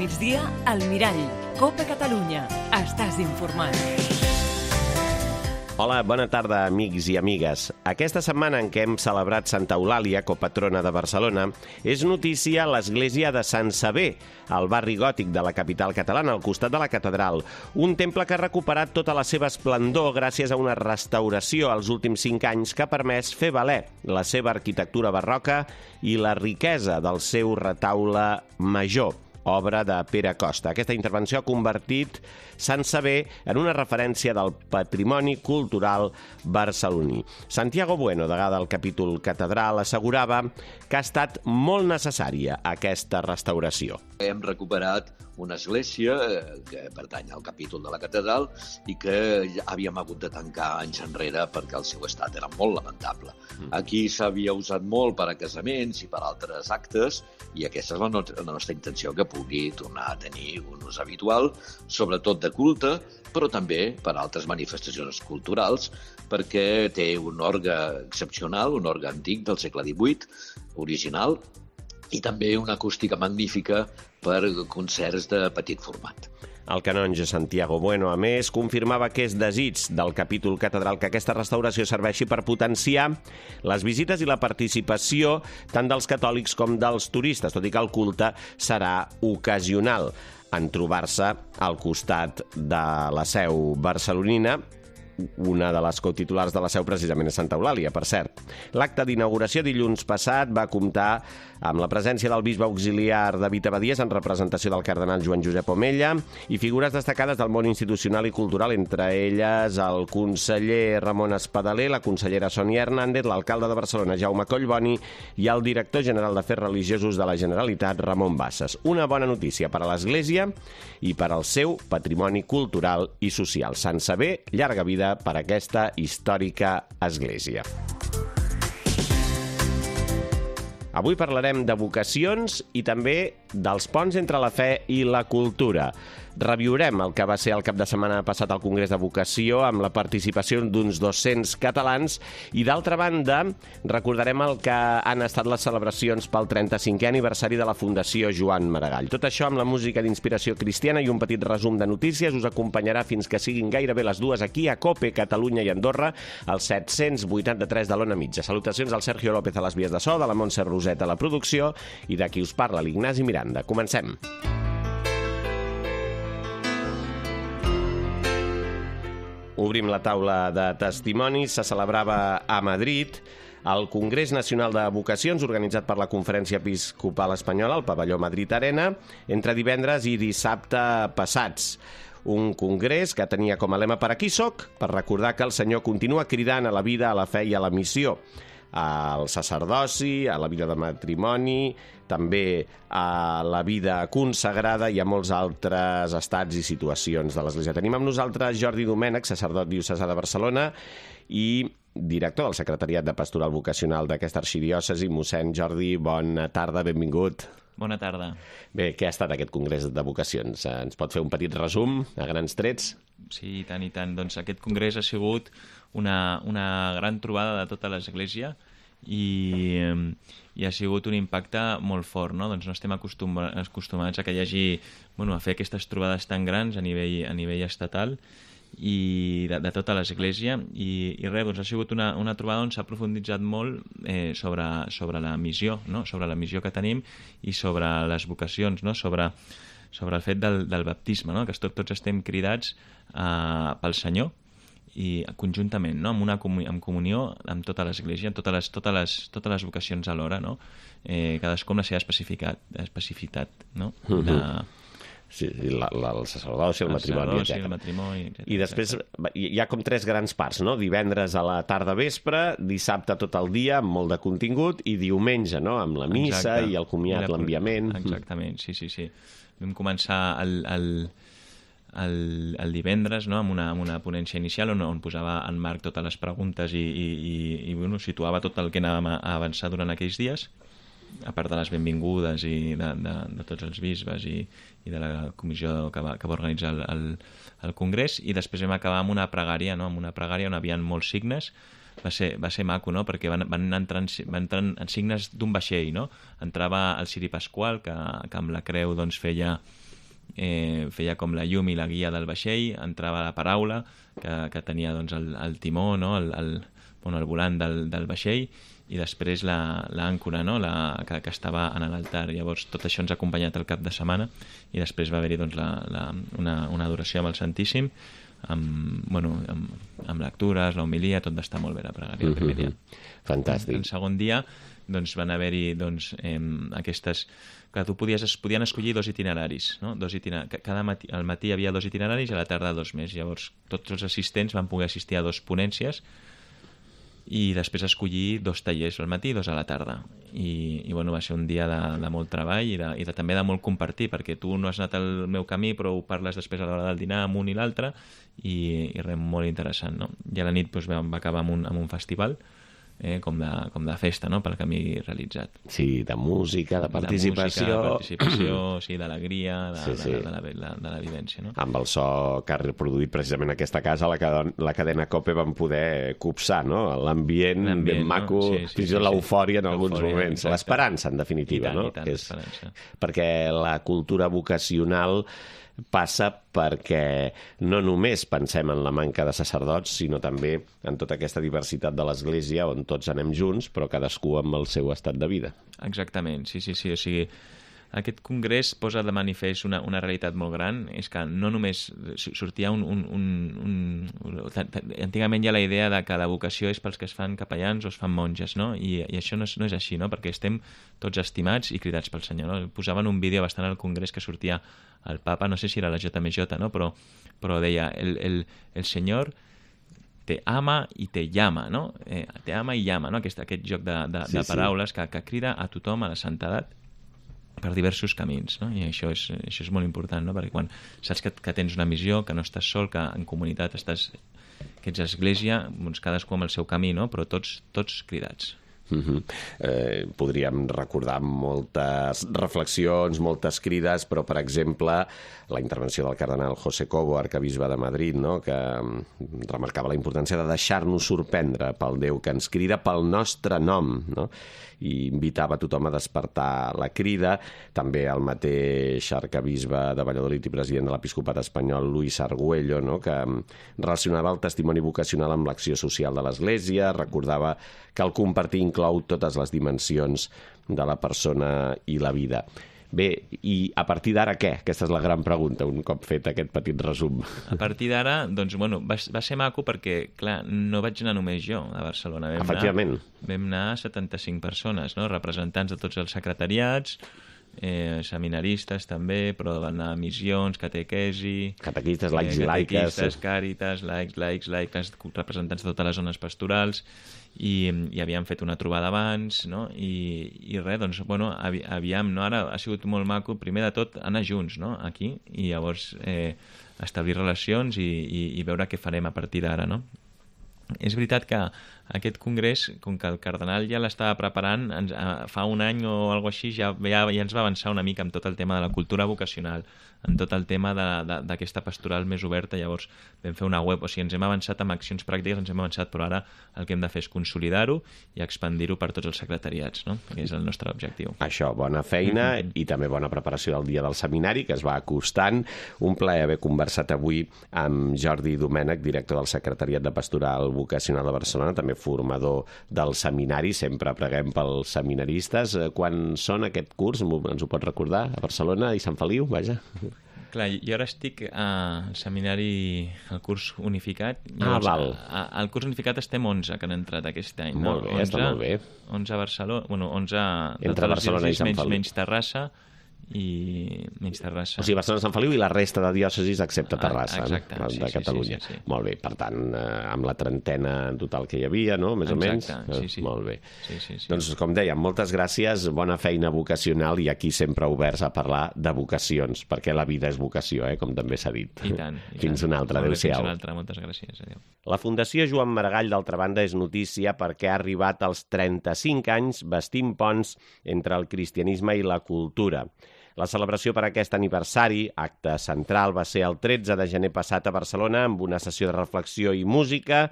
migdia, al Mirall. Copa Catalunya. Estàs informat. Hola, bona tarda, amics i amigues. Aquesta setmana en què hem celebrat Santa Eulàlia, copatrona de Barcelona, és notícia l'església de Sant Sever, al barri gòtic de la capital catalana, al costat de la catedral. Un temple que ha recuperat tota la seva esplendor gràcies a una restauració als últims 5 anys que ha permès fer valer la seva arquitectura barroca i la riquesa del seu retaule major, obra de Pere Costa. Aquesta intervenció ha convertit Sant Sever en una referència del patrimoni cultural barceloní. Santiago Bueno, degà del capítol catedral, assegurava que ha estat molt necessària aquesta restauració. Hem recuperat una església que pertany al capítol de la catedral i que havíem hagut de tancar anys enrere perquè el seu estat era molt lamentable. Aquí s'havia usat molt per a casaments i per a altres actes i aquesta és la nostra intenció, que pugui tornar a tenir un ús habitual, sobretot de culte, però també per a altres manifestacions culturals, perquè té un orgue excepcional, un orgue antic del segle XVIII, original, i també una acústica magnífica per concerts de petit format. El canonge Santiago Bueno, a més, confirmava que és desig del capítol catedral que aquesta restauració serveixi per potenciar les visites i la participació tant dels catòlics com dels turistes, tot i que el culte serà ocasional en trobar-se al costat de la seu barcelonina. Una de les cotitulars de la seu precisament és Santa Eulàlia, per cert. L'acte d'inauguració dilluns passat va comptar amb la presència del bisbe auxiliar David Abadies en representació del cardenal Joan Josep Omella i figures destacades del món institucional i cultural, entre elles el conseller Ramon Espadaler, la consellera Sònia Hernández, l'alcalde de Barcelona Jaume Collboni i el director general d'Afers Religiosos de la Generalitat Ramon Bassas. Una bona notícia per a l'Església i per al seu patrimoni cultural i social. Sant Sever, llarga vida per aquesta històrica església. Avui parlarem de vocacions i també dels ponts entre la fe i la cultura. Reviurem el que va ser el cap de setmana passat al Congrés de Vocació amb la participació d'uns 200 catalans i, d'altra banda, recordarem el que han estat les celebracions pel 35è aniversari de la Fundació Joan Maragall. Tot això amb la música d'inspiració cristiana i un petit resum de notícies us acompanyarà fins que siguin gairebé les 2 aquí a COPE, Catalunya i Andorra, al 783 de l'Ona Mitja. Salutacions al Sergio López a les vies de so, de la Montse Roset a la producció i de qui us parla, l'Ignasi Miranda. Comencem. Obrim la taula de testimonis. Se celebrava a Madrid el Congrés Nacional de Vocacions, organitzat per la Conferència Episcopal Espanyola, al pavelló Madrid Arena, entre divendres i dissabte passats. Un congrés que tenia com a lema "Per aquí soc", per recordar que el Senyor continua cridant a la vida, a la fe i a la missió, al sacerdoci, a la vida de matrimoni, també a la vida consagrada i a molts altres estats i situacions de l'Església. Tenim amb nosaltres Jordi Domènech, sacerdot diocesà de Barcelona i director del Secretariat de Pastoral Vocacional d'aquesta arxidiòcesi. Mossèn Jordi, bona tarda, benvingut. Bona tarda. Bé, què ha estat aquest congrés de vocacions? Ens pot fer un petit resum, a grans trets? Sí, i tant, i tant. Doncs aquest congrés ha sigut una gran trobada de tota l'Església i ha sigut un impacte molt fort, no? Doncs no estem acostumats a que hi hagi, a fer aquestes trobades tan grans a nivell estatal i de tota l'Església i res, doncs ha sigut una trobada on s'ha profunditzat molt sobre la missió, no? Sobre la missió que tenim i sobre les vocacions, no? Sobre el fet del baptisme, no? Que tots estem cridats pel Senyor i conjuntament, no? En comunió amb tota l'Església, amb totes les vocacions alhora, no? Cadascú amb la seva especificitat, no? Sí, el sacerdoci, el matrimoni, etc. I després hi ha com 3 grans parts, no? Divendres a la tarda vespre, dissabte tot el dia, amb molt de contingut, i diumenge, no? Amb la missa i el comiat, l'enviament. Exactament, sí. Vam començar el divendres, no? amb una ponència inicial on posava en marc totes les preguntes i situava tot el que anàvem a avançar durant aquells dies, a part de les benvingudes i de tots els bisbes i de la comissió que va organitzar el Congrés, i després vam acabar amb una pregària, no? Amb una pregària on hi havia molts signes. Va ser maco, no? Perquè van entrant signes d'un vaixell, no? Entrava el ciri pasqual, que amb la creu doncs, feia feia com la llum i la guia del vaixell, entrava la paraula que tenia doncs, el timó, no? El volant del vaixell, i després l'àncora, no? que estava en l'altar. Llavors tot això ens ha acompanyat el cap de setmana, i després va haver-hi doncs, una adoració amb el Santíssim, amb lectures, la homilia, tot va estar molt bé la pregària el primer dia. Fantàstic. El segon dia doncs, van haver-hi aquestes... que es podien escollir 2 itineraris, no? Cada matí, al matí hi havia 2 itineraris i a la tarda 2 més. Llavors tots els assistents van poder assistir a 2 ponències i després escollir 2 tallers al matí i 2 a la tarda. I va ser un dia de molt treball i també de molt compartir, perquè tu no has anat al meu camí però ho parles després a l'hora del dinar amb un i l'altre, i res, molt interessant, no? I a la nit doncs, va acabar amb un festival, com de festa, no? Pel camí realitzat. Sí, de música, de participació... De participació, sí, d'alegria, de la vivència, no? Amb el so que ha reproduït precisament aquesta casa, la cadena COPE van poder copsar, no? L'ambient ben maco, fins i tot l'eufòria en alguns moments. L'esperança, en definitiva, no? I tant, l'esperança. Perquè la cultura vocacional passa perquè no només pensem en la manca de sacerdots, sinó també en tota aquesta diversitat de l'Església on tots anem junts, però cadascú amb el seu estat de vida. Exactament, sí. O sigui, aquest congrés posa de manifest una realitat molt gran, és que no només sortia antigament hi ha la idea de que la vocació és pels que es fan capellans o es fan monges, no? I això no és així, no? Perquè estem tots estimats i cridats pel Senyor, no? Posaven un vídeo bastant al congrés que sortia el papa, no sé si era la JMJ, no? Però deia, el Senyor te ama i te llama, no? Te ama i llama, no? Aquest joc de paraules que crida a tothom a la santedat per diversos camins, no? I això és molt important, no? Perquè quan saps que tens una missió, que no estàs sol, que en comunitat que ets església, doncs cadascú amb el seu camí, no? Però tots cridats. Podríem recordar moltes reflexions, moltes crides, però, per exemple, la intervenció del cardenal José Cobo, arcabisbe de Madrid, no? Que remarcava la importància de deixar-nos sorprendre pel Déu que ens crida pel nostre nom, no? I invitava tothom a despertar la crida. També el mateix arcabisbe de Valladolid i president de l'Episcopat espanyol, Luis Argüello, no? Que relacionava el testimoni vocacional amb l'acció social de l'Església, recordava que el compartir inclou totes les dimensions de la persona i la vida. Bé, i a partir d'ara què? Aquesta és la gran pregunta, un cop fet aquest petit resum. A partir d'ara, doncs, va ser maco perquè, clar, no vaig anar només jo a Barcelona. Efectivament. Vam anar 75 persones, no? Representants de tots els secretariats, seminaristes també, però van anar a missions, catequesi... Catequistes, laics i laiques... Catequistes, càritas, laics, representants de totes les zones pastorals, i havíem fet una trobada abans, no? I res, doncs, aviam, no? Ara ha sigut molt maco, primer de tot, anar junts, no? Aquí, i llavors establir relacions i veure què farem a partir d'ara, no? És veritat que aquest congrés, com que el cardenal ja l'estava preparant, fa un any o alguna cosa així, ja ens va avançar una mica amb tot el tema de la cultura vocacional, en tot el tema d'aquesta pastoral més oberta. Llavors vam fer una web, o sigui, ens hem avançat amb accions pràctiques, però ara el que hem de fer és consolidar-ho i expandir-ho per tots els secretariats, no? Que és el nostre objectiu. Això, bona feina i també bona preparació del dia del seminari, que es va acostant. Un plaer haver conversat avui amb Jordi Domènech, director del Secretariat de Pastoral Vocacional de Barcelona, també formador del seminari. Sempre preguem pels seminaristes. Quan són aquest curs? Ens ho pot recordar? A Barcelona i Sant Feliu, vaja. Clar, jo ara estic al seminari, al curs unificat. Val. Al curs unificat estem 11 que han entrat aquest any. Molt bé, està molt bé. 11 a Barcelona, 11 entre Barcelona i Sant Feliu. Menys Terrassa. O sigui, Barcelona, Sant Feliu i la resta de diòcesis excepte Terrassa, exacte, no? De Catalunya. Sí. Molt bé, per tant, amb la trentena total que hi havia, no? Més o menys. Sí. Molt bé. Sí. Doncs, com dèiem, moltes gràcies, bona feina vocacional i aquí sempre oberts a parlar de vocacions, perquè la vida és vocació, com també s'ha dit. I tant. Fins una altra, adéu-siau. Fins una altra, moltes gràcies. Adéu. La Fundació Joan Maragall, d'altra banda, és notícia perquè ha arribat als 35 anys bastint ponts entre el cristianisme i la cultura. La celebració per aquest aniversari, acte central, va ser el 13 de gener passat a Barcelona amb una sessió de reflexió i música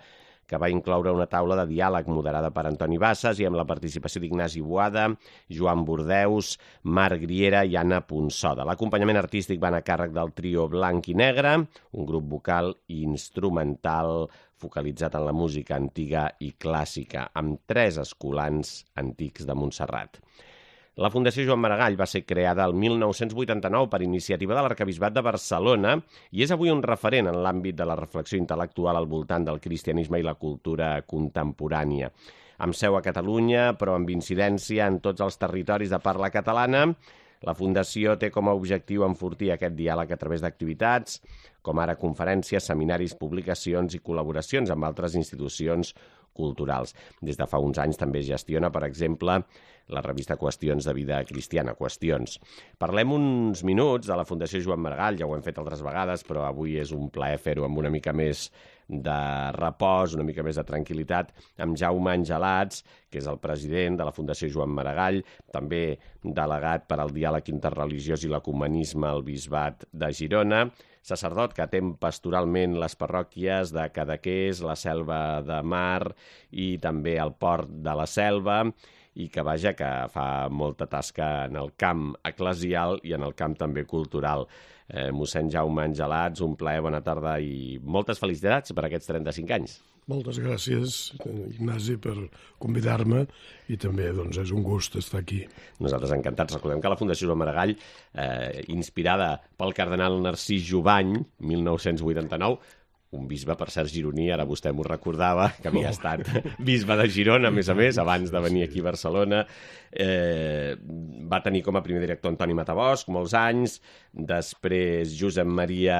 que va incloure una taula de diàleg moderada per Antoni Bassas i amb la participació d'Ignasi Boada, Joan Bordeus, Marc Griera i Anna Ponsoda. L'acompanyament artístic va anar a càrrec del trio Blanc i Negre, un grup vocal i instrumental focalitzat en la música antiga i clàssica, amb 3 escolans antics de Montserrat. La Fundació Joan Maragall va ser creada el 1989 per iniciativa de l'Arquebisbat de Barcelona i és avui un referent en l'àmbit de la reflexió intel·lectual al voltant del cristianisme i la cultura contemporània. Amb seu a Catalunya, però amb incidència en tots els territoris de parla catalana, la Fundació té com a objectiu enfortir aquest diàleg a través d'activitats, com ara conferències, seminaris, publicacions i col·laboracions amb altres institucions culturals. Des de fa uns anys també gestiona, per exemple, la revista Qüestions de Vida Cristiana, Qüestions. Parlem uns minuts de la Fundació Joan Maragall, ja ho hem fet altres vegades, però avui és un plaer fer-ho amb una mica més de repòs, una mica més de tranquil·litat, amb Jaume Angelats, que és el president de la Fundació Joan Maragall, també delegat per al diàleg interreligiós i l'ecumenisme al Bisbat de Girona, sacerdot que atén pastoralment les parròquies de Cadaqués, la Selva de Mar i també el Port de la Selva, i que fa molta tasca en el camp eclesial i en el camp també cultural. Mossèn Jaume Angelats, un plaer, bona tarda i moltes felicitats per aquests 35 anys. Moltes gràcies, Ignasi, per convidar-me i també és un gust estar aquí. Nosaltres encantats. Recordem que la Fundació Joan Maragall, inspirada pel cardenal Narcís Jubany, 1989, un bisbe, per cert, gironí, ara vostè m'ho recordava, que havia estat bisbe de Girona, a més, abans de venir aquí a Barcelona. Va tenir com a primer director Antoni Matabosc, molts anys, després Josep Maria,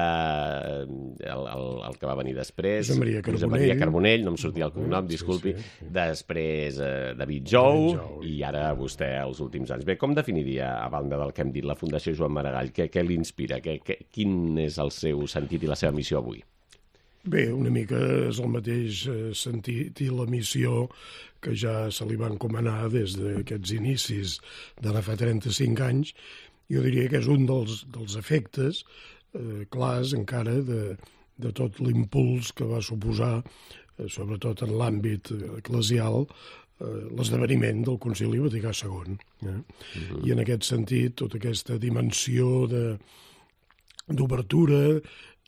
el que va venir després, Josep Maria Carbonell, no em sortia el cognom, disculpi, després David Jou, i ara vostè els últims anys. Bé, com definiria, a banda del que hem dit, la Fundació Joan Maragall? Què l'inspira? Quin és el seu sentit i la seva missió avui? Bé, una mica és el mateix sentit i la missió que ja se li va encomanar des d'aquests inicis d'ara fa 35 anys. Jo diria que és un dels efectes clars encara de tot l'impuls que va suposar, sobretot en l'àmbit eclesial, l'esdeveniment del Concili Vaticà II. I en aquest sentit, tota aquesta dimensió d'obertura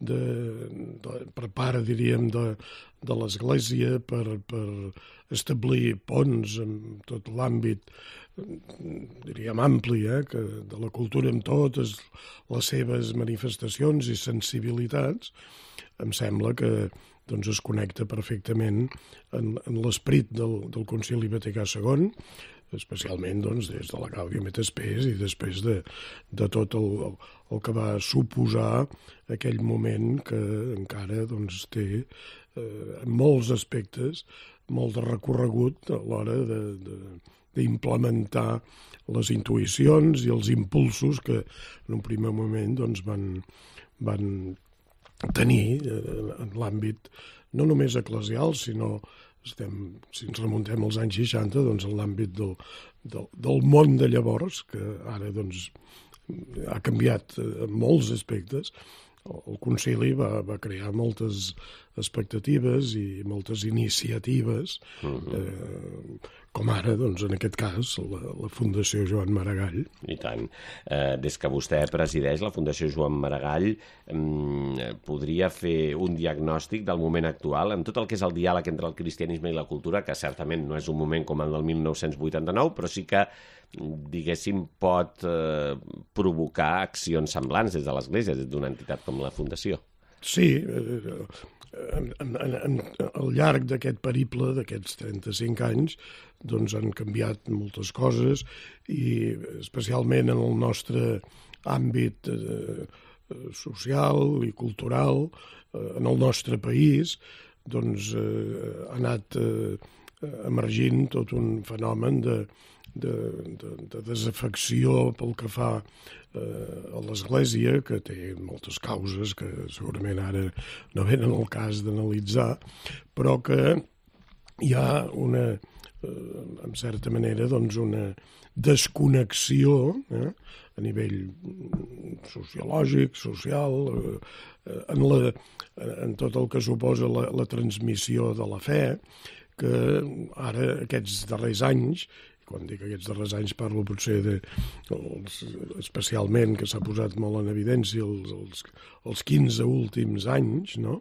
per part, diríem, de l'Església per establir ponts en tot l'àmbit, diríem, ampli, de la cultura amb totes les seves manifestacions i sensibilitats, em sembla que es connecta perfectament en l'esperit del Concili Vaticà II, especialment des de la Gaudium et Spes i després de tot el que va suposar aquell moment que encara té en molts aspectes molt de recorregut a l'hora d'implementar les intuïcions i els impulsos que en un primer moment van tenir en l'àmbit no només eclesial, sinó si ens remuntem als anys 60, en l'àmbit del món de llavors, que ara ha canviat en molts aspectes. El Concili va crear moltes expectatives i moltes iniciatives, com ara, en aquest cas, la Fundació Joan Maragall. I tant. Des que vostè presideix la Fundació Joan Maragall, podria fer un diagnòstic del moment actual en tot el que és el diàleg entre el cristianisme i la cultura, que certament no és un moment com el del 1989, però sí que, diguéssim, pot provocar accions semblants des de l'Església, des d'una entitat com la Fundació. Sí, al llarg d'aquest periple, d'aquests 35 anys, han canviat moltes coses i especialment en el nostre àmbit social i cultural, en el nostre país, ha anat emergint tot un fenomen de desafecció pel que fa a l'Església, que té moltes causes que segurament ara no venen al cas d'analitzar, però que hi ha una en certa manera, doncs, una desconnexió a nivell sociològic, social, en tot el que suposa la transmissió de la fe, que ara, aquests darrers anys, quan dic aquests darrers anys parlo potser especialment, que s'ha posat molt en evidència els 15 últims anys, no?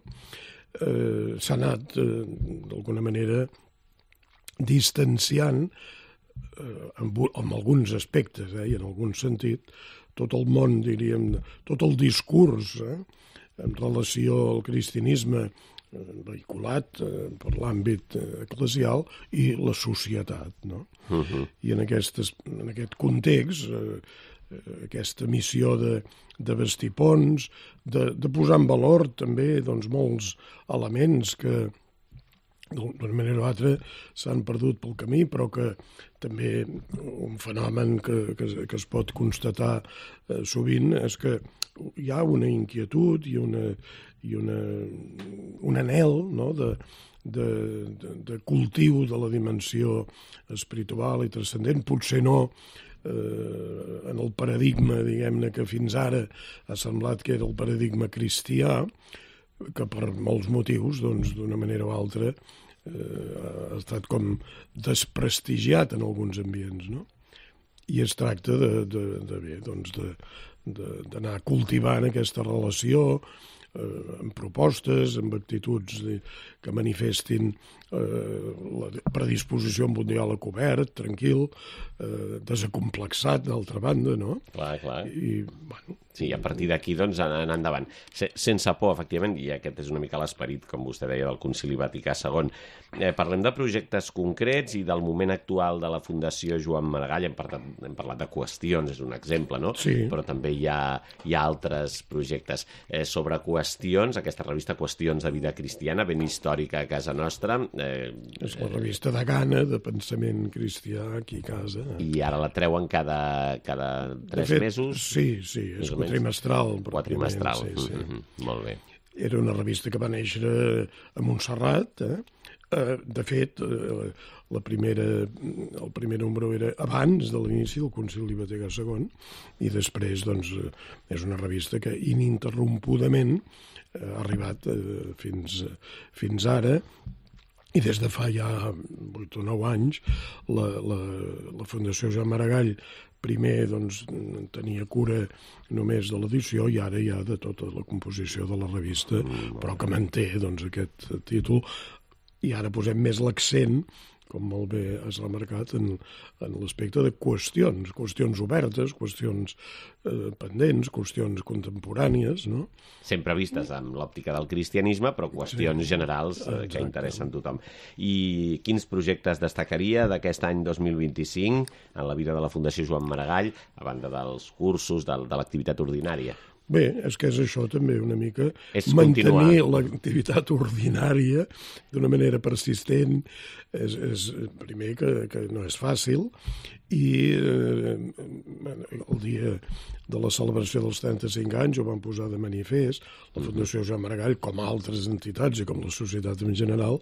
S'ha anat, d'alguna manera, distanciant en alguns aspectes i en algun sentit tot el món, diríem, tot el discurs en relació al cristianisme vehiculat per l'àmbit eclesial i la societat, no? I en aquest context, aquesta missió de vestir ponts, de posar en valor també doncs, molts elements que d'una manera o altra s'han perdut pel camí, però que també un fenomen que es pot constatar sovint és que hi ha una inquietud i un anhel, no?, de cultiu de la dimensió espiritual i transcendent, potser no en el paradigma, diguem-ne, que fins ara ha semblat que era el paradigma cristià, que per molts motius, doncs, d'una manera o altra, ha estat com desprestigiat en alguns ambients, no? I es tracta d'anar cultivant aquesta relació amb propostes, amb actituds que manifestin la predisposició amb un diàleg obert, tranquil, desacomplexat, d'altra banda, no? Clar. I, bueno... Sí, a partir d'aquí, doncs, anar endavant. Sense por, efectivament, i aquest és una mica l'esperit, com vostè deia, del Concili Vaticà II. Parlem de projectes concrets i del moment actual de la Fundació Joan Maragall. Hem parlat de qüestions, és un exemple, no? Sí. Però també hi ha altres projectes. Sobre qüestions, aquesta revista Qüestions de Vida Cristiana, ben històrica a casa nostra. És la revista de gana, de pensament cristià, aquí a casa. I ara la treuen cada 3 mesos? Sí, és quatrimestral. Quatrimestral, sí. Molt bé. Era una revista que va néixer a Montserrat. De fet, el primer número era abans de l'inici del Concili Vaticà II i després, doncs, és una revista que ininterrompudament ha arribat fins ara. I des de fa ja 8 o 9 anys la Fundació Joan Maragall primer doncs, tenia cura només de l'edició i ara ja de tota la composició de la revista, però que manté doncs, aquest títol. I ara posem més l'accent, com molt bé has remarcat, en l'aspecte de qüestions obertes, qüestions pendents, qüestions contemporànies, no? Sempre vistes amb l'òptica del cristianisme, però qüestions generals que interessen tothom. I quins projectes destacaria d'aquest any 2025 en la vida de la Fundació Joan Maragall, a banda dels cursos, de l'activitat ordinària? Bé, és que és això també una mica, mantenir l'activitat ordinària d'una manera persistent, és primer que no és fàcil, i el dia de la celebració dels 35 anys ho van posar de manifest la Fundació Joan Maragall, com altres entitats i com la societat en general,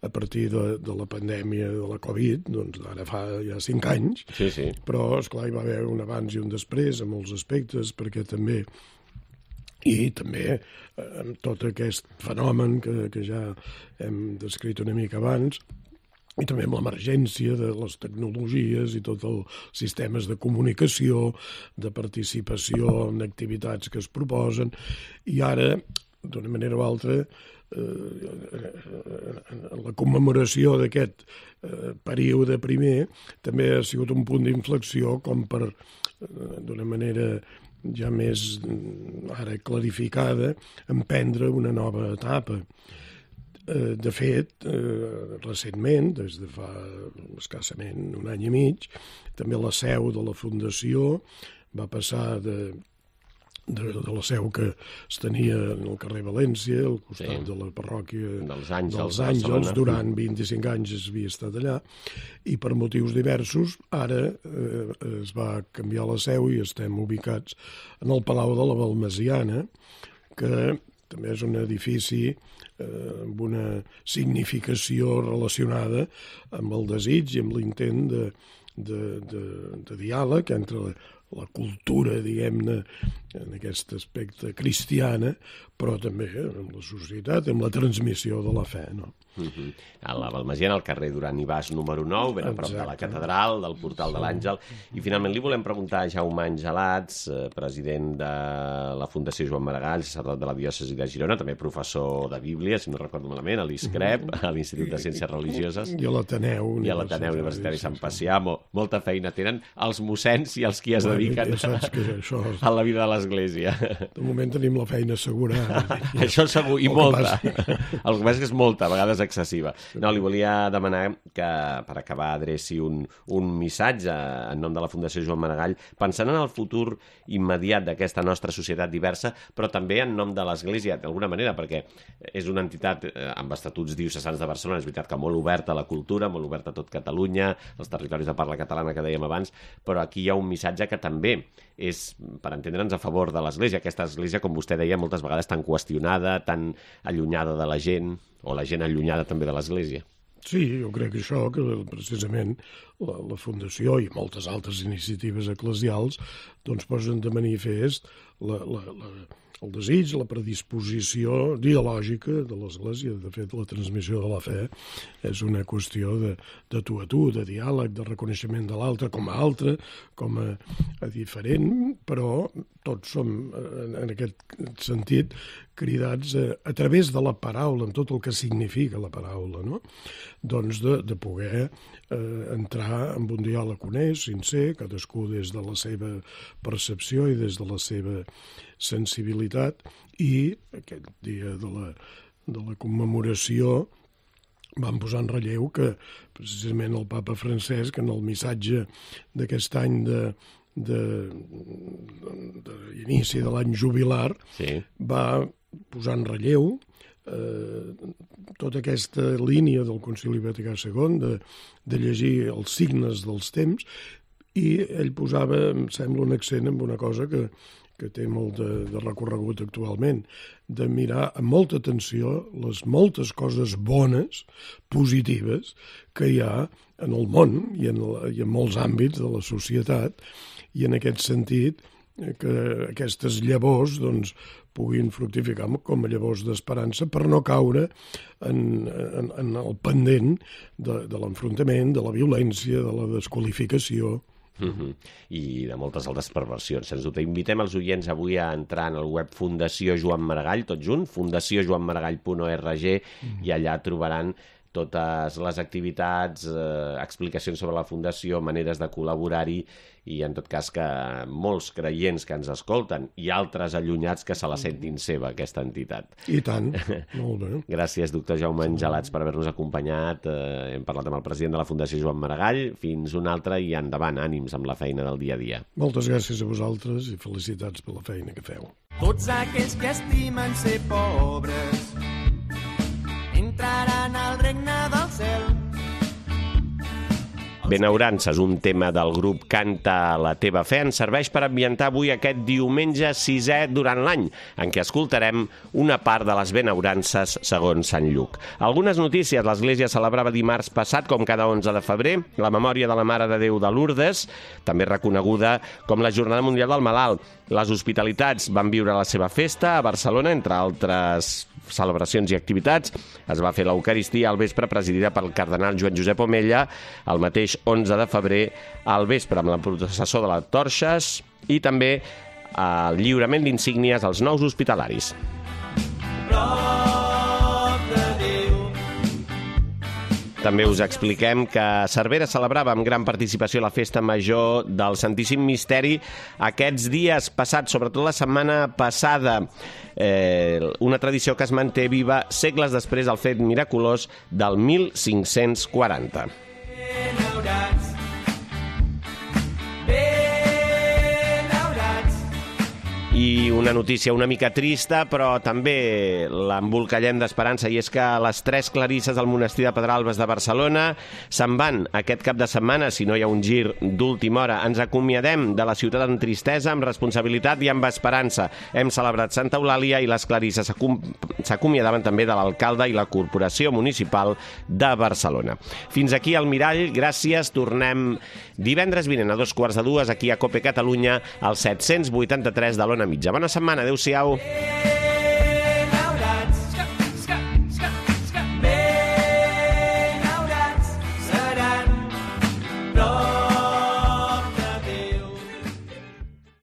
a partir de la pandèmia de la Covid, doncs ara fa ja 5 anys, sí. Però esclar hi va haver un abans i un després en molts aspectes, perquè també amb tot aquest fenomen que ja hem descrit una mica abans, i també amb l'emergència de les tecnologies i tots els sistemes de comunicació, de participació en activitats que es proposen, i ara, d'una manera o altra, la commemoració d'aquest període primer també ha sigut un punt d'inflexió com per, d'una manera ja més ara clarificada, emprendre una nova etapa. De fet, recentment, des de fa escassament un any i mig, també la seu de la Fundació va passar de la seu que es tenia en el carrer València, al costat de la parròquia dels Àngels, durant 25 anys es havia estat allà, i per motius diversos ara es va canviar la seu i estem ubicats en el Palau de la Balmesiana, que també és un edifici amb una significació relacionada amb el desig i amb l'intent de diàleg entre la cultura, diguem-ne, en aquest aspecte cristiana, però també amb la societat, amb la transmissió de la fe, no? A la Balmagiana, al carrer Duran i Bas número 9, ben a prop de la catedral, del portal de l'Àngel. I finalment li volem preguntar a Jaume Angelats, president de la Fundació Joan Maragall, sacerdot de la diòcesi de Girona, també professor de Bíblia, si no recordo malament, a l'ISCREP, a l'Institut de Ciències Religioses. I a l'Ateneu Universitari Sant Pacià. Molta feina tenen els mossens i els qui es dediquen a la vida de l'Església. De moment tenim la feina assegurada. Això segur, i molta. El que passa és que és molta, a vegades excessiva. No, li volia demanar que, per acabar, adreci un missatge en nom de la Fundació Joan Maragall, pensant en el futur immediat d'aquesta nostra societat diversa, però també en nom de l'Església, d'alguna manera, perquè és una entitat amb estatuts diocesans de Barcelona, és veritat que molt oberta a la cultura, molt oberta a tot Catalunya, els territoris de parla catalana que dèiem abans, però aquí hi ha un missatge que també és, per entendre'ns, a favor de l'Església. Aquesta Església, com vostè deia, moltes vegades tan qüestionada, tan allunyada de la gent, o la gent allunyada també de l'Església. Sí, jo crec que això, que precisament la Fundació i moltes altres iniciatives eclesials doncs posen de manifest el desig, la predisposició dialògica de l'Església. De fet, la transmissió de la fe és una qüestió de tu a tu, de diàleg, de reconeixement de l'altre com a altre, com a diferent, però tots som, en aquest sentit, cridats a través de la paraula, amb tot el que significa la paraula, no? Doncs de poder entrar en un diàleg honest, sincer, cadascú des de la seva percepció i des de la seva sensibilitat, i aquest dia de la commemoració van posar en relleu que precisament el papa Francesc, en el missatge d'aquest any d'inici de l'any jubilar, va posar en relleu tota aquesta línia del Concili Vaticà II de llegir els signes dels temps, i ell posava, em sembla, un accent en una cosa que té molt de recorregut actualment, de mirar amb molta atenció les moltes coses bones, positives, que hi ha en el món i en molts àmbits de la societat, i en aquest sentit que aquestes llavors doncs, puguin fructificar com a llavors d'esperança per no caure en el pendent de l'enfrontament, de la violència, de la desqualificació. I de moltes altres perversions. Sens dubte, invitem els oients avui a entrar en el web Fundació Joan Maragall, tot junt, fundaciojoanmaragall.org, i allà trobaran totes les activitats, explicacions sobre la Fundació, maneres de col·laborar-hi, i en tot cas que molts creients que ens escolten i altres allunyats que se la sentin seva, aquesta entitat. I tant, molt bé. Gràcies, doctor Jaume Angelats, per haver-nos acompanyat. Hem parlat amb el president de la Fundació Joan Maragall. Fins una altra, i endavant, ànims amb la feina del dia a dia. Moltes gràcies a vosaltres i felicitats per la feina que feu. Tots aquells que estimen ser pobres entraran al regne del cel. Benaurances, un tema del grup Canta la teva fe, ens serveix per ambientar avui aquest diumenge 6è durant l'any, en què escoltarem una part de les benaurances segons Sant Lluc. Algunes notícies. L'Església celebrava dimarts passat, com cada 11 de febrer, la memòria de la Mare de Déu de Lourdes, també reconeguda com la Jornada Mundial del Malalt. Les hospitalitats van viure la seva festa a Barcelona, entre altres celebracions i activitats. Es va fer l'Eucaristia al vespre, presidida pel cardenal Joan Josep Omella, el mateix 11 de febrer al vespre, amb la processó de les torxes i també el lliurament d'insígnies als nous hospitalaris. També us expliquem que Cervera celebrava amb gran participació la festa major del Santíssim Misteri aquests dies passats, sobretot la setmana passada. Una tradició que es manté viva segles després del fet miraculós del 1540. I una notícia una mica trista, però també l'embolcallem d'esperança, i és que les 3 clarisses del monestir de Pedralbes de Barcelona se'n van aquest cap de setmana, si no hi ha un gir d'última hora. Ens acomiadem de la ciutat amb tristesa, amb responsabilitat i amb esperança. Hem celebrat Santa Eulàlia i les clarisses s'acomiadaven també de l'alcalde i la Corporació Municipal de Barcelona. Fins aquí el Mirall, gràcies. Tornem divendres vinent a 2:15 aquí a COPE Catalunya, al 783 de l'Ona Mitja. Bona setmana, adeu-siau.